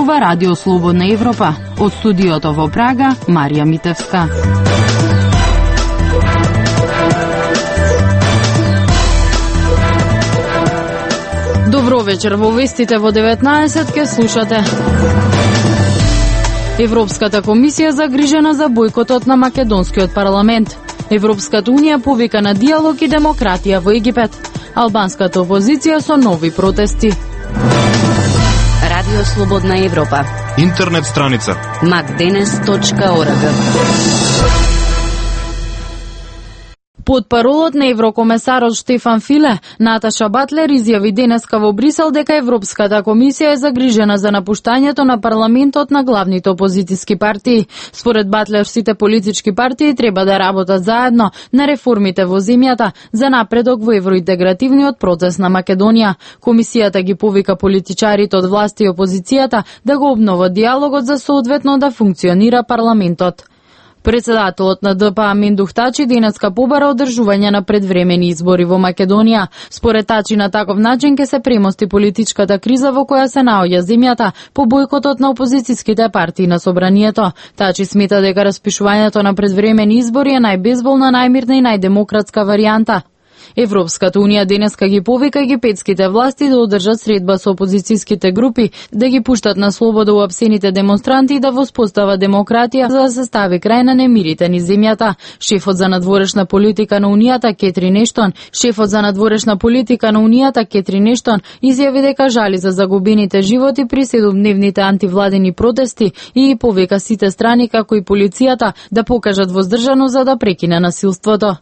зборува Радио Слободна Европа. Од студиото во Прага, Марија Митевска. Добро вечер, во вестите во 19 ке слушате. Европската комисија загрижена за бојкотот на македонскиот парламент. Европската унија повика на диалог и демократија во Египет. Албанската опозиција со нови протести. Радио Слободна Европа. Интернет страница macdenes.org. Под паролот на еврокомесарот Штефан Филе, Наташа Батлер изјави денеска во Брисел дека Европската комисија е загрижена за напуштањето на парламентот на главните опозициски партии. Според Батлер, сите политички партии треба да работат заедно на реформите во земјата за напредок во евроинтегративниот процес на Македонија. Комисијата ги повика политичарите од власт и опозицијата да го обноват диалогот за соодветно да функционира парламентот. Председателот на ДПА Миндух Тачи денеска побара одржување на предвремени избори во Македонија. Според Тачи, на таков начин ќе се премости политичката криза во која се наоѓа земјата по бојкотот на опозицијските партии на собранието. Тачи смета дека распишувањето на предвремени избори е најбезболна, најмирна и најдемократска варијанта. Европската унија денеска ги повика египетските власти да одржат средба со опозицијските групи, да ги пуштат на слобода уапсените демонстранти и да воспостават демократија за да се стави крај на немирите низ земјата. Шефот за надворешна политика на унијата Кетрин Ештон изјави дека жали за загубените животи при 7-дневните антивладени протести и повика сите страни како и полицијата да покажат воздржаност за да прекине насилството.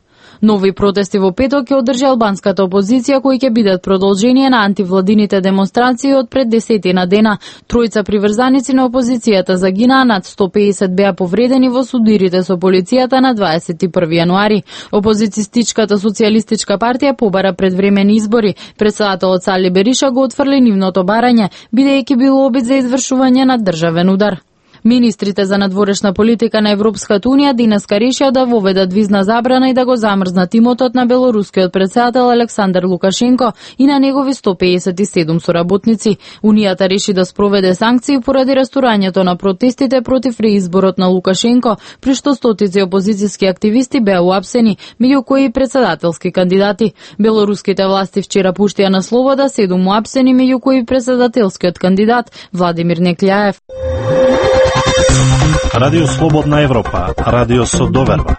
Нови протести во петок ќе одржи албанската опозиција, кои ќе бидат продолжение на антивладините демонстрации од пред 10 дена. Тројца приврзаници на опозицијата загинаа, над 150 беа повредени во судирите со полицијата на 21 јануари. Опозицијстичката социјалистичка партија побара предвремени избори. Председателот Сали Бериша го отфрли нивното барање, бидејќи било обид за извршување на државен удар. Министрите за надворешна политика на Европската унија денеска решија да воведат визна забрана и да го замрзнат имотот на белорускиот председател Александар Лукашенко и на негови 157 соработници. Унијата реши да спроведе санкции поради растурањето на протестите против реизборот на Лукашенко, при што стотици опозицијски активисти беа уапсени, меѓу кои и председателски кандидати. Белоруските власти вчера пуштија на слобода 7 уапсени, меѓу кои и председателскиот кандидат Владимир Некљаев. Радио Слободна Европа, радио со доверба.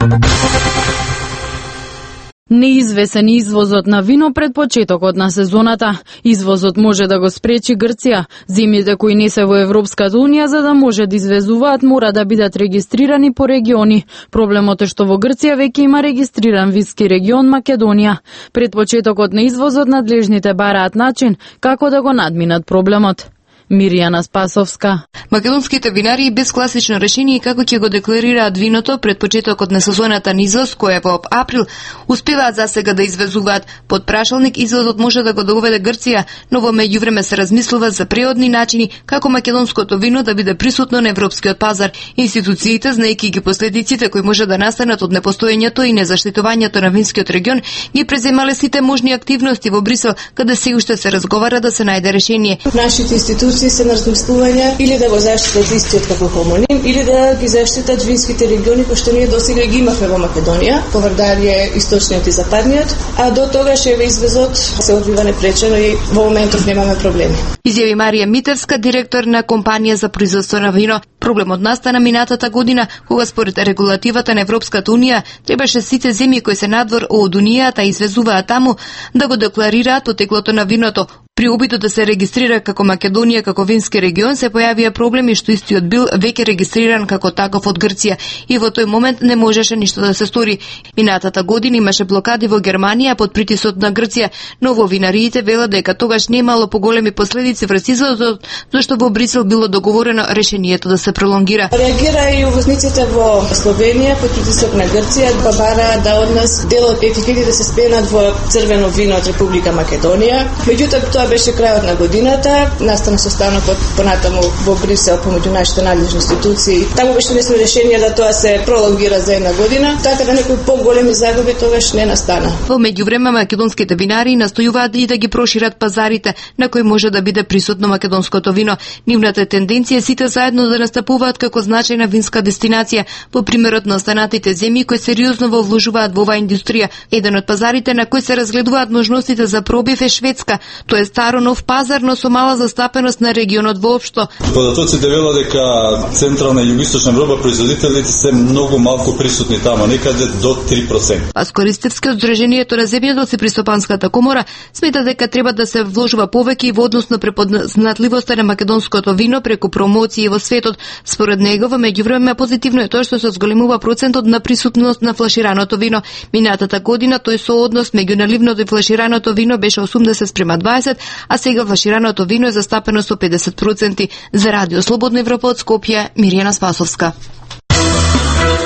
Неизвесен извозот на вино пред почетокот на сезоната. Извозот може да го спречи Грција. Земјите кои не се во Европската унија, за да може да извезуваат, мора да бидат регистрирани по региони. Проблемот е што во Грција веќе има регистриран вински регион Македонија. Пред почетокот на извозот надлежните бараат начин како да го надминат проблемот. Миријана Спасовска. Македонските винари без класично решение како ќе го декларираат виното пред почетокот на сезоната на извоз, која во април успеваат засега да извезуваат под прашалник, извозот може да го доведе Грција, но во меѓувреме се размислува за преодни начини како македонското вино да биде присутно на европскиот пазар. Институциите, знаејќи ги последиците кои може да настанат од непостоењето и незаштитувањето на винскиот регион, ги преземале сите можни активности во Брисел, каде се уште се разговара да се најде решение. Нашите институции се на размислување или да го заштитат истиот како хомоним, или да ги заштитат винските региони кои што ние досега ги имавме во Македонија, по Вардарија, источниот и западниот, а до тогаш еве извезот се одвива непречено и во моментов немаме проблеми. Изјави Марија Митевска, директор на компанија за производство на вино. Проблемот настана минатата година, кога според регулативата на Европската унија требаше сите земји кои се надвор од унијата и извезуваат таму да го декларираат потеклото на виното. При обидот да се регистрира како Македонија како вински регион се појавија проблеми што истиот бил веќе регистриран како таков од Грција и во тој момент не можеше ништо да се стори. Минатата година имаше блокади во Германија под притисот на Грција, но во винариите велат дека тогаш немало поголеми последици врз извозот, зашто во Брисел било договорено решението да се пролонгира. Реагира и увозниците во Словенија под притисок на Грција, бара да од нас дел од етикетите се спенат во црвено вино од Република Македонија. Меѓутоа тоа Тоа беше крајот на годината, настана состанокот понатаму во Брисел помеѓу нашите надлежни институции. Таму беше донесено решение да тоа се пролонгира за една година, така да некои поголеми загуби тогаш не настана. Во меѓувреме македонските винари настојуваат и да ги прошират пазарите на кои може да биде присутно македонското вино. Нивната тенденција е сите заедно да настапуваат како значајна винска дестинација, по примерот на останатите земји кои сериозно во вложуваат во оваа индустрија. Еден од пазарите на кои се разгледуваат можностите за пробив е Шведска. Тоа е старо нов пазар, но со мала застапеност на регионот воопшто. Податоците велат дека централна и југоисточна Европа производителите се многу малку присутни таму, некаде до 3%. Паско Ристевски од Сдруженијето на земјоделци при Стопанската комора смета дека треба да се вложува повеќе и во однос на препознатливоста на македонското вино преку промоции во светот. Според него, во меѓувреме позитивно е тоа што се зголемува процентот на присутност на флашираното вино. Минатата година тој сооднос меѓу наливното и флашираното вино беше 80:20, а сега флашираното вино е застапено со 50%. За Радио Слободна Европа од Скопје, Мирјана Спасовска.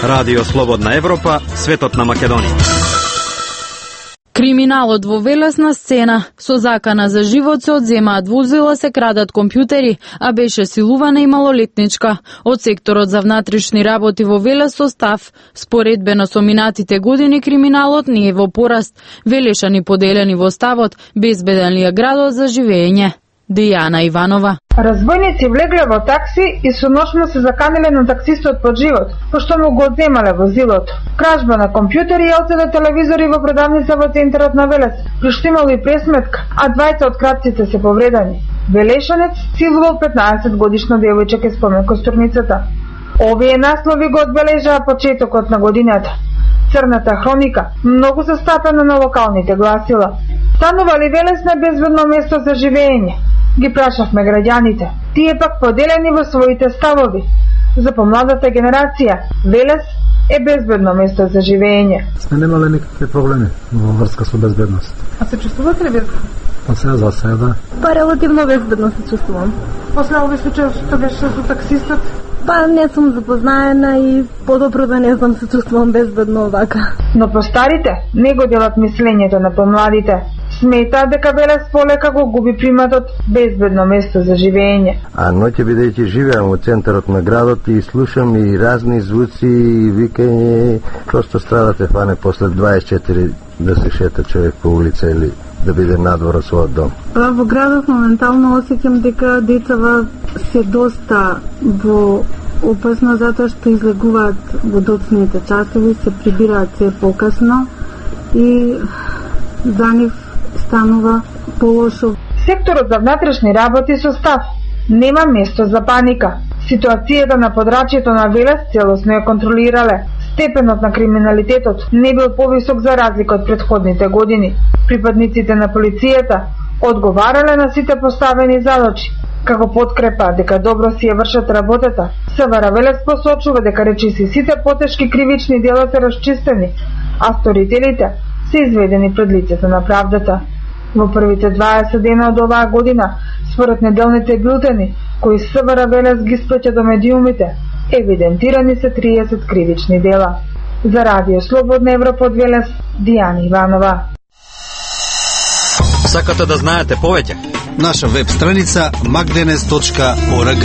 Радио Слободна Европа, светот на Македонија. Криминалот во Велес на сцена. Со закана за живот се одземаат возила, се крадат компјутери, а беше силувана и малолетничка. Од секторот за внатрешни работи во Велес состав, споредбено со минатите години, криминалот не е во пораст. Велешани поделени во ставот, безбеден ли е градот за живење? Дијана Иванова. Разбойници влегле во такси и со нож му се заканиле на таксистот под живот, пошто му го одземале возилото. Кражба на компјутери и LCD телевизори во продавница во центарот на Велес, при што имало и пресметка, а двајца од крадците се повредени. Велешанец силувал 15 годишна девојче, спомен костурницата. Овие наслови го одбележаа почетокот на годината. Црната хроника, многу застапена на локалните гласила. Станува ли Велес на безбедно место за живење? Ги прашавме граѓаните. Тие пак поделени во своите ставови. За помладата генерација, Велес е безбедно место за живење. Сме немале никакви проблеми во врска со безбедност. А се чувствувате ли безбедно? Па сега за сега, да. Па релативно безбедно се чувствувам. После овој случај што беше со таксистот? Па не сум запознаена и подобро да не знам, се чувствувам безбедно овака. Но по старите не го делат мислењето на помладите. Сметаат дека Велес полека го губи приматот безбедно место за живење. А ноќе бидејќи живеам во центарот на градот и слушам и разни звуци и викање, просто страдате фане после 24 да се шета човек по улица или да биде надвор од својот дом. Во градот моментално осеќам дека децава се доста во опасно затоа што излегуваат во доцните часови, се прибираат се покасно и за нив станува полошо. Секторот за внатрешни работи состав нема место за паника. Ситуацијата на подрачјето на Велес целосно ја контролирале. Степенот на криминалитетот не бил повисок за разлика од претходните години. Припадниците на полицијата одговарале на сите поставени задачи. Како подкрепа дека добро си ја вршат работата, СВР Велес посочува дека речиси сите потешки кривични дела се расчистени, а сторителите се изведени пред лицето на правдата. Во првите 20 дена од оваа година, според неделните бюлтени, кои СВР Велес ги испраќа до медиумите, евидентирани се 30 кривични дела. За Радио Слободна Европа од Велес, Дијана Иванова. Сакате да знаете повеќе? Наша веб страница magdenes.org.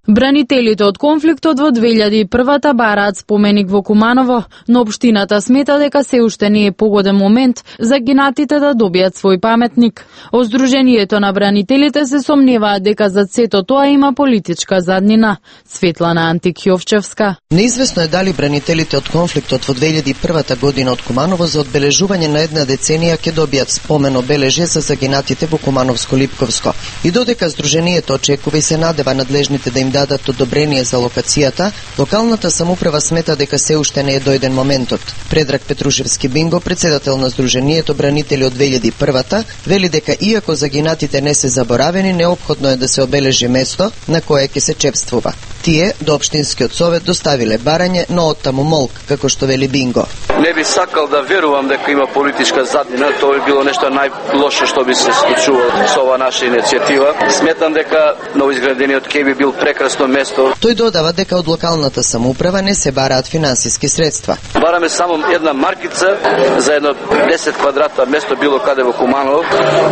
Бранителите од конфликтот во 2001-та бараат споменик во Куманово, но општината смета дека се уште не е погоден момент за гинатите да добијат свој паметник. Од Сдруженијето на бранителите се сомневаат дека за сето тоа има политичка заднина. Светлана Антик-Јовчевска. Неизвестно е дали бранителите од конфликтот во 2001 година од Куманово за одбележување на една деценија ќе добијат спомен обележје за загинатите во Кумановско-Липковско. И додека Сдруженијето очекува и се надева надлежните да им дадат одобрение за локацијата, локалната самоуправа смета дека се уште не е дојден моментот. Предраг Петрушевски Бинго, председател на Сдруженијето бранители од 2001-та, вели дека иако загинатите не се заборавени, неопходно е да се обележи место на кое ќе се чепствува. Тие до општинскиот совет доставиле барање, но оттаму молк, како што вели Бинго. Не би сакал да верувам дека има политичка заднина, тоа би било нешто најлошо што би се случувало со ова наша иницијатива. Сметам дека новоизградениот ке би бил прекрасно место. Тој додава дека од локалната самоуправа не се бараат финансиски средства. Бараме само една маркица за едно 10 квадрата место било каде во Куманово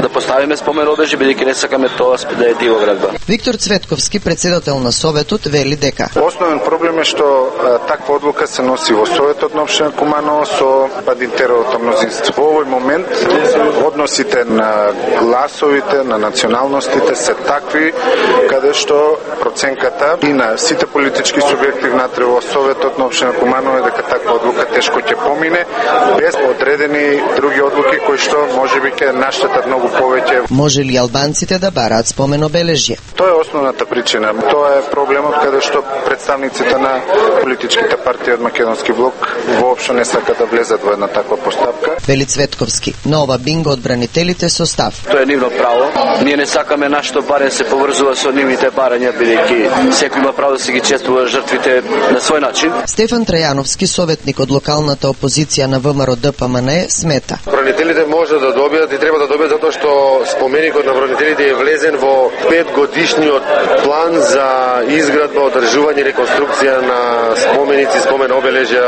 да поставиме спомен обележје, бидејќи не сакаме тоа да е дивоградба. Виктор Цветковски, председател на советот, вели дека основен проблем е што таква одлука се носи во советот на општина Куманово со Бадинтеровото мнозинство. Во овој момент односите на гласовите, на националностите се такви каде што проценката и на сите политички субјекти внатре во советот на општина Куманово е дека таква одлука тешко ќе помине без одредени други одлуки кои што можеби ќе наштетат многу повеќе. Може ли албанците да бараат спомен обележје? Тоа е основната причина. Тоа е проблемот каде што представниците на политичките партии од Македонски блок воопшто не сакаат да влезат во една таква постапка. Вели Цветковски, но ова бинго одбранителите со став. Тоа е нивно право. Ние не сакаме нашето барање се поврзува со нивните барања, бидејќи секој има право да се ги чествува жртвите на свој начин. Стефан Трајановски, советник од локалната опозиција на ВМРО ДПМН, смета. Бранителите може да добијат и треба да добијат затоа што споменикот на бранителите е влезен во 5-годишниот план за изградба, одржување и реконструкција на споменици, спомен обележја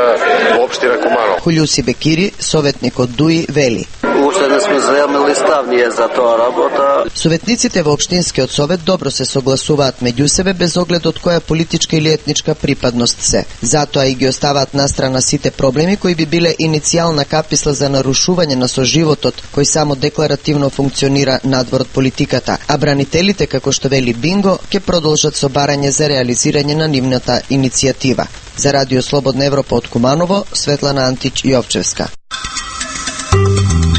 во општина Куманово. Хулјуси Бекири, советник од ДУИ, вели. Уште не сме заемали став ние за тоа работа. Советниците во општинскиот совет добро се согласуваат меѓу себе без оглед од која политичка или етничка припадност се. Затоа и ги оставаат настрана сите проблеми кои би биле иницијална каписла за нарушување на соживотот кој само декларативно функционира надвор од политиката, а бранителите, како што вели Бинго, ќе продолжат со барање за реализирање на нивната иницијатива. За Радио Слободна Европа од Куманово, Светлана Антич Јовчевска.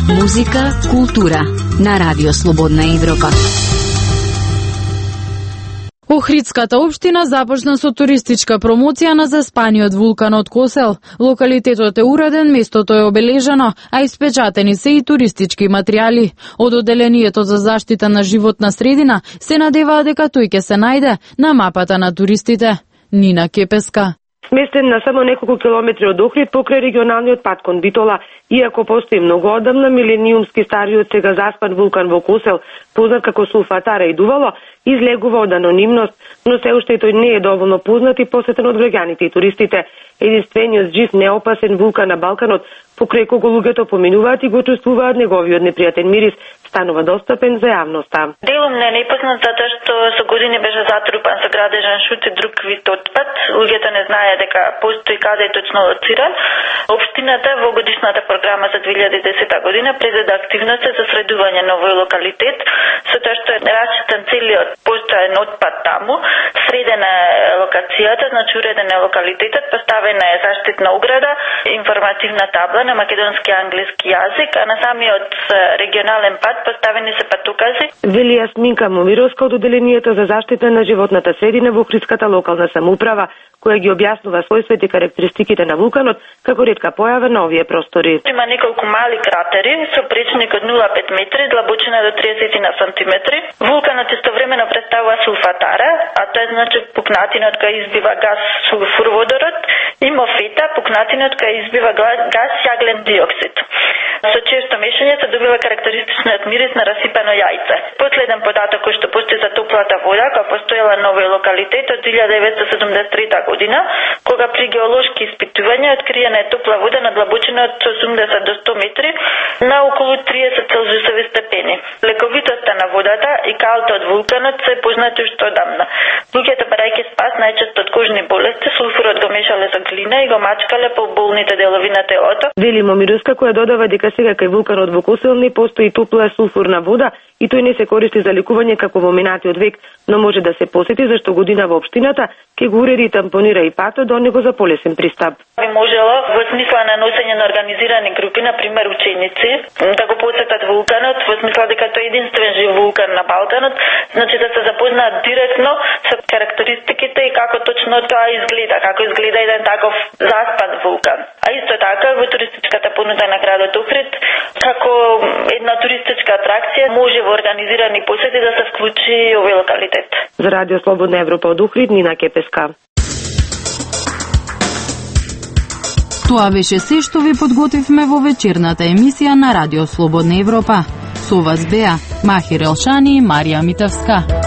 Музика, култура на Радио Слободна Европа. Охридската општина започна со туристичка промоција на заспаниот вулканот Косел. Локалитетот е уреден, местото е обележано, а испечатени се и туристички материјали. Од Одделението за заштита на животна средина се надеваа дека тој ќе се најде на мапата на туристите. Нина Кепеска. Сместен на само неколку километри од Охрид покрај регионалниот пат кон Битола, иако постои многу одамна милениумски стариот сега заспан вулкан во Косел, познат како Сулфатара и Дувало, излегува од анонимност, но се уште и тој не е доволно познат и посетен од граѓаните и туристите. Единствениот жив неопасен вулкан на Балканот, покрај кого луѓето поминуваат и го чувствуваат неговиот непријатен мирис, станува достапен за јавноста. Делом не е непознат затоа што со години беше затрупан со градежен шут и друг вид отпад. Луѓето не знае дека постои каде е точно лоциран. Општината во годишната програма за 2010 година предвиди активности за средување на овој локалитет, со тоа што е расчитан целиот постојан отпад таму, средена е локацијата, значи уреден е локалитетот, поставена е заштитна ограда, информативна табла на македонски и англиски јазик, а на самиот регионален пат поставени се патукази. Вели Јасминка Момировска од Одделението за заштита на животната средина во Охридската локална самоуправа, која ги објаснува својствата и карактеристиките на вулканот како ретка појава на овие простори. Има неколку мали кратери со пречник од 0,5 метри, длабочина до 30 на сантиметри. Вулканот истовремено представува сулфатара, а тоа е значи пукнатинот кај избива газ сулфурводород, и мофета, пукнатинот кај избива газ јаглен диоксид. Со често мешање се добива карактеристичниот мирис на расипано јајце. Последен податок кој што постои за топлата вода, која постоела на овој локалитет од 1973 година, кога при геолошки испитувања откриена е топла вода на длабочина од 80 до 100 метри на околу 30 целзиусови степени. Лековитоста на водата и калта од вулканот се познати уште одамна. Луѓето барајќи спас најчесто од кожни болести, сулфурот го мешале со глина и го мачкале по болните делови на телото. Вели Момировска, која додава дека сега кај вулканот во Косел не постои топла сулфурна вода и тој не се користи за лекување како во минатиот век, но може да се посети зашто година во општината ќе го уреди и тампонира и патот до него за полесен пристап. Би можело во смисла на носење на организирани групи, на пример ученици, да го посетат вулканот, во смисла дека тој е единствен жив вулкан на Балканот, значи да се запознаат директно со карактеристиките и како точно тоа изгледа, како изгледа еден таков заспан вулкан. А исто така во туристичката понуда на градот Охрид, како една туристичка атракција може во организирани посети да се вклучи овој локалитет. За Радио Слободна Европа од Охрид, Нина Кепеска. Тоа беше се што ви подготвивме во вечерната емисија на Радио Слободна Европа. Со вас беа Махир Елшани и Марија Митевска.